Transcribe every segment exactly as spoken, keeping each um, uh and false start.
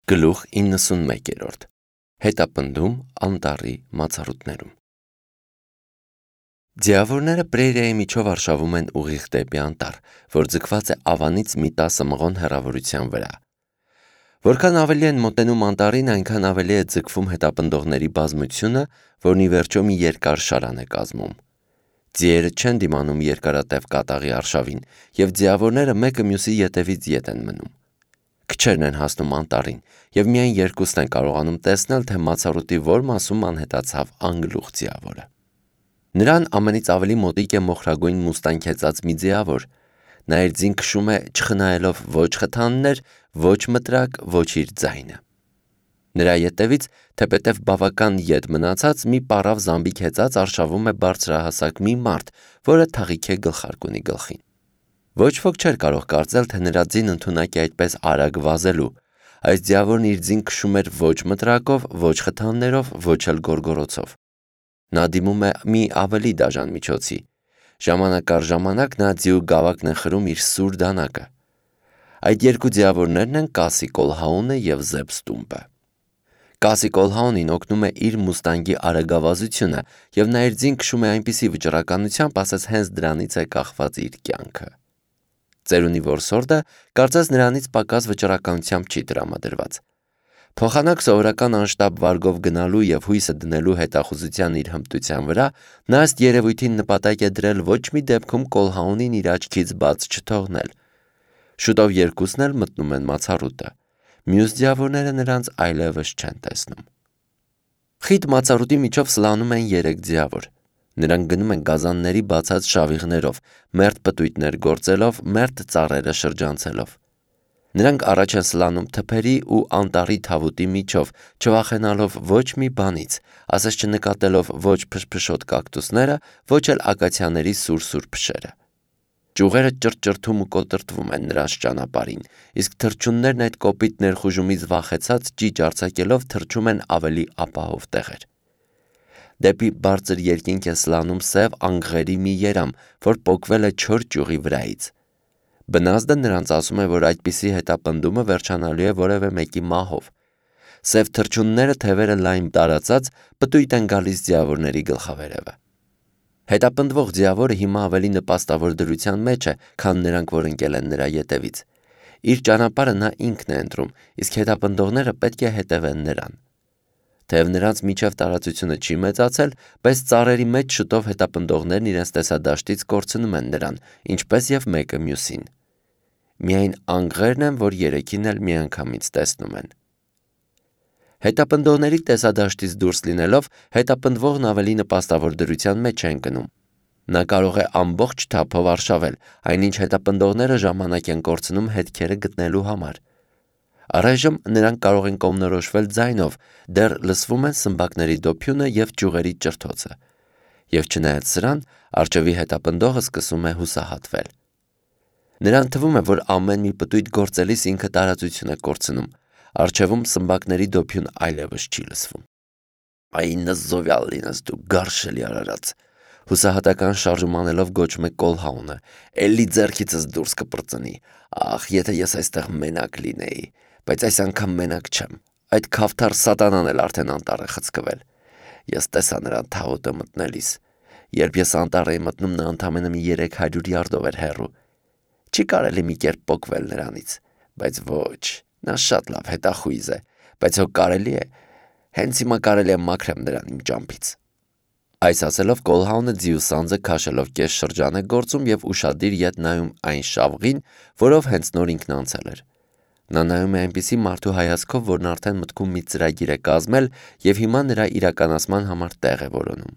Գլուխ իննսունմեկ. Հետապնդում անտառի մացառուտներում։ Ձիավորները պրերիայի միջով արշավում են ուղիղ դեպի անտառ, որ ձգված է ավանից մի տասը մղոն հեռավորության վրա։ Որքան ավելի են մոտենում անտառին, այնքան ավելի է ձգվում հետապնդողների բազմությունը, որն ի վերջո մի երկար շարան է կազմում։ Ձիերը չեն դիմանում երկարատև կատաղի արշավին, և ձիավորները մեկը մյուսի ետևից ետ են մնում։ Քչերն են հասնում անտառին, և միայն երկուսն են կարողանում տեսնել, թե մացառուտի որ մասում անհետացավ անգլուխ ձիավորը։ Նրան ամենից ավելի մոտիկ է մոխրագույն մուստանգ հեծած մի ձիավոր։ Նա իր ձին քշում է չխնայելով ոչ խթաններ, ոչ մտրակ, ոչ իր ձայնը։ Նրա ետևից, թեպետև բավական ետ մնացած, մի պառավ զամբիկ հեծած արշավում է բարձրահասակ մի մարդ, որը թաղիք է գլխարկունի գլխին։ Ոչ ոք չէր կարող կարծել, թե նրա ձին ընդունակ է այդպես արագ վազելու։ Այս ձիավորն իր ձին քշում էր ոչ մտրակով, ոչ խթաններով, ոչ էլ գոռգոռոցով։ Նա դիմում է մի ավելի դաժան միջոցի։ Ժամանակ առ ժամանակ նա ձիու գավակն է խրում իր սուր դանակը։ Այդ երկու ձիավորներն են Կասի Կոլհաունը և Զեբ Ստումպը։ Կասի Կոլհաունին օգնում է իր մուստանգի արագավազությունը, և նա իր ձին քշում է այնպիսի վճռականությամբ, ասես հենց դրանից է կախված իր կյանքը։ Ծերունի որսորդը կարծես նրանից պակաս վճռականությամբ չի տրամադրված։ Փոխանակ սովորական անշտապ վարգով գնալու և հույսը դնելու հետախուզության իր հմտության վրա, նա ըստ երևույթին նպատակ է դրել ոչ մի դեպքում Կոլհաունին իր աչքից բաց չթողնել։ Շուտով երկուսն էլ մտնում են մացառուտը։ Մյուս ձիավորները նրանց այլևս չեն տեսնում։ Խիտ մացառուտի միջով սլանում են երեք ձիավոր։ Նրանք գնում են գազանների բացած շավիղներով, մերթ պտույտներ գործելով, մերթ ծառերը շրջանցելով։ Նրանք առաջ են սլանում թփերի ու անտառի թավուտի միջով, չվախենալով ոչ մի բանից, ասես չնկատելով ոչ փշփշոտ կակտուսները, ոչ էլ ակացիաների սուր-սուր փշերը։ Ճյուղերը ճռճռթում ու կոտրտվում են նրանց ճանապարհին, իսկ թռչուններն այդ կոպիտ ներխուժումից վախեցած ճիճ արձակելով թռչում են ավելի ապահով տեղեր։ Դեպի բարձր երկինք է սլանում սև անգղերի մի երամ, որ պոկվել է չոր ճյուղի վրայից։ Բնազդը նրանց ասում է, որ այդպիսի հետապնդումը վերջանալու է որևէ մեկի մահով։ Սև թռչունները թևերը լայն տարածած պտույտ են գալիս ձիավորների գլխավերևը։ Հետապնդվող ձիավորը հիմա ավելի նպաստավոր դրության մեջ է, քան նրանք, որ ընկել են նրա ետևից։ Իր ճանապարհը նա ինքն է ընտրում, իսկ հետապնդողները պետք է հետևեն նրան։ Թեև նրանց միջև տարածությունը չի մեծացել, բայց ծառերի մեջ շուտով հետապնդողներն իրենց տեսադաշտից կորցնում են նրան, ինչպես և մեկը մյուսին։ Միայն անգղերն են, որ երեքին էլ միանգամից տեսնում են։ Հետապնդողների տեսադաշտից դուրս լինելով, հետապնդվողն ավելի նպաստավոր դրության մեջ է ընկնում։ Նա կարող է ամբողջ թափով արշավել, այնինչ հետապնդողները ժամանակ են կորցնում հետքերը գտնելու համար։ Առայժմ նրանք կարող են կողմնորոշվել ձայնով, դեռ լսվում են սմբակների դոփյունը և ճյուղերի ճռթոցը։ Եվ չնայած սրան, առջևի հետապնդողը սկսում է հուսահատվել։ Նրան թվում է, որ ամեն մի պտույտ գործելիս ինքը տարածություն է կորցնում։ Առջևում սմբակների դոփյուն այլևս չի լսվում։ Այ նզովյալ լինես դու, գարշելի արարած, հուսահատական շարժում անելով գոչում է Կոլհաունը, էլի ձեռքիցս դուրս կպրծնի։ Ախ, եթե ես այստեղ մենակ լինեի, բայց այս անգամ մենակ չեմ։ Այդ քավթար սատանան էլ արդեն անտառ է խցկվել։ Ես տեսա նրան թավուտը մտնելիս։ Երբ ես անտառ էի մտնում, նա ընդամենը մի երեք հարյուր յարդով էր հեռու։ Չի կարելի մի կերպ պոկվել նրանից, բայց ոչ, նա շատ լավ հետախույզ է, բայց հո կարելի է, հենց հիմա կարելի է մաքրեմ նրան իմ ճամփից։ Այս ասելով Կոլհաունը ձիու սանձը քաշելով կես շրջան է գործում և ուշադիր ետ նայում այն շավղին, որով հենց նոր ինքն անցել էր։ Նա նայում է այնպիսի մարդու հայացքով, որն արդեն մտքում մի ծրագիր է կազմել և հիմա նրա իրականացման համար տեղ է որոնում։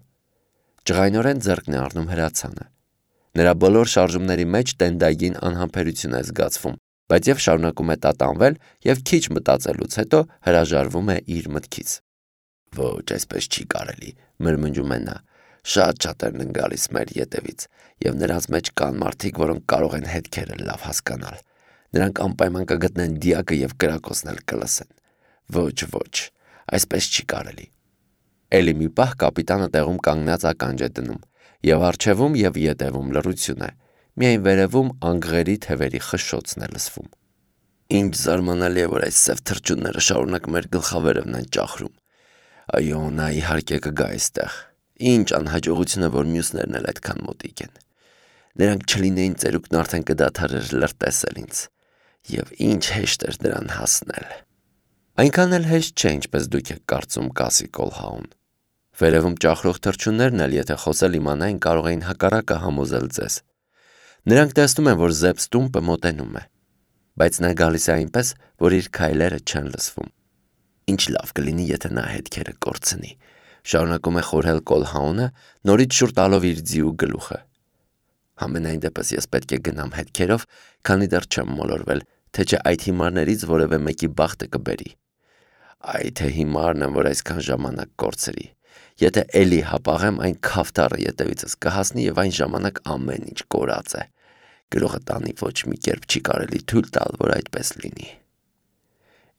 Ջղայնորեն ձեռքն է առնում հրացանը։ Նրա բոլոր շարժումների մեջ տենդագին անհամբերություն է զգացվում, բայց և շարունակում է տատանվել և քիչ մտածելուց հետո հրաժարվում է իր մտքից։ Ոչ, այսպես չի կարելի, մրմնջում է նա։ Շատ-շատերն են գալիս մեր ետևից, և նրանց մեջ կան մարդիկ, որոնք կարող են հետքերը լավ հասկանալ։ Նրանք անպայման կգտնեն դիակը և կրակոցն էլ կլսեն։ Ոչ, ոչ, այսպես չի կարելի։ Էլի մի պահ կապիտանը տեղում կանգնած ականջ է դնում, և առջևում և ետևում լռություն է։ Միայն վերևում անգղերի թևերի խշշոցն է լսվում։ Ինչ զարմանալի է, որ այս սև թռչունները շարունակ մեր գլխավերևն են ճախրում։ Այո, նա իհարկե կգա այստեղ։ Ինչ անհաջողություն է, որ մյուսներն էլ այդքան մոտիկ են։ Նրանք չլինեին ծերուկն արդեն կդադարեր լրտեսել ինձ։ Եվ ինչ հեշտ էր դրան հասնել։ Այնքան էլ հեշտ չէ, ինչպես դուք եք կարծում, կասի Կոլհաուն։ Վերևում ճախրող թռչուններն էլ, եթե խոսել իմանային, կարող էին հակառակը համոզել ձեզ։ Նրանք տեսնում են, որ Զեփս տումպը մոտենում է, բայց նա գալիս է այնպես, որ իր քայլերը չեն լսվում։ Ինչ լավ կլինի, եթե նա հետքերը կորցնի, շարունակում է խորհել Կոլհաունը, նորից շուռ տալով իր ձիու գլուխը։ Համենայն դեպս ես պետք է գնամ հետքերով, քանի դեռ չեմ մոլորվել, թե չէ այդ հիմարներից որևէ մեկի բախտը կբերի։ Այ թե հիմարն եմ, որ այսքան ժամանակ կորցրի։ Եթե էլի հապաղեմ, այն քավթարը ետևիցս կհասնի եւ այն ժամանակ ամեն ինչ կորած է։ Գրողը տանի ոչ մի կերպ չի կարելի թույլ տալ, որ այդպես լինի։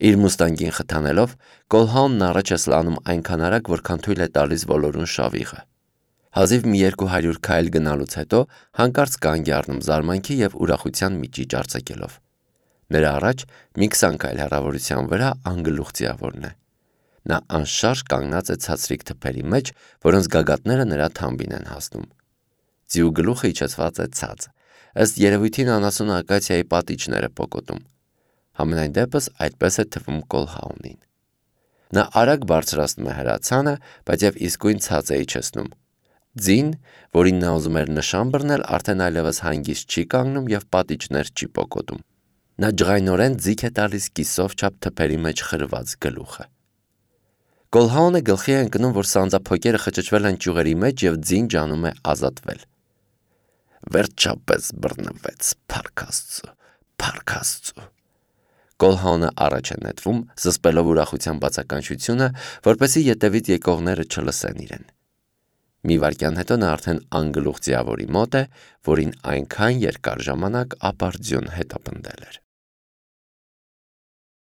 Իր մուստանգին խթանելով, Կոլհաունն առաջ է սլանում այնքան արագ, որքան թույլ է տալիս ոլորուն շավիղը։ Հազիվ մի երկու հարյուր քայլ գնալուց հետո հանկարծ կանգ է առնում զարմանքի եւ ուրախության միջիճ արձակելով։ Նրա առաջ մի քսան քայլ հեռավորության վրա անգլուխ ձիավորն է։ Նա անշարժ կանգնած է ցածրիկ թփերի մեջ, որոնց գագաթները նրա թամբին են հասնում։ Ձիու գլուխը իջեցված է ցած։ Ըստ երևույթին անասուն ակացիայի պատիճներ է պոկոտում։ Համենայն դեպս այդպես է թվում Կոլհաունին։ Նա արագ բարձրացնում է հրացանը, բայց եւ իսկույն ցած է իջեցնում։ Ձին, որին նա ուզում էր նշան բռնել, արդեն այլևս հանգիստ չի կանգնում եւ պատիճներ չի պոկոտում։ Նա ջղայնորեն ձիգ է տալիս կիսով չափ թփերի մեջ խրված գլուխը։ Կոլհաունը գլխի է ընկնում, որ սանձափոկերը խճճվել են ճյուղերի մեջ եւ ձին ջանում է ազատվել։ Վերջապես բռնվեց, փառք Աստծո, փառք Աստծո։ Կոլհաունը առաջ է նետվում, զսպելով ուրախության բացականչությունը, որպեսզի ետևից եկողները չլսեն իրեն։ Մի վայրկյան հետո նա արդեն անգլուխ ձիավորի մոտ է, որին այնքան երկար ժամանակ ապարդյուն հետապնդել էր։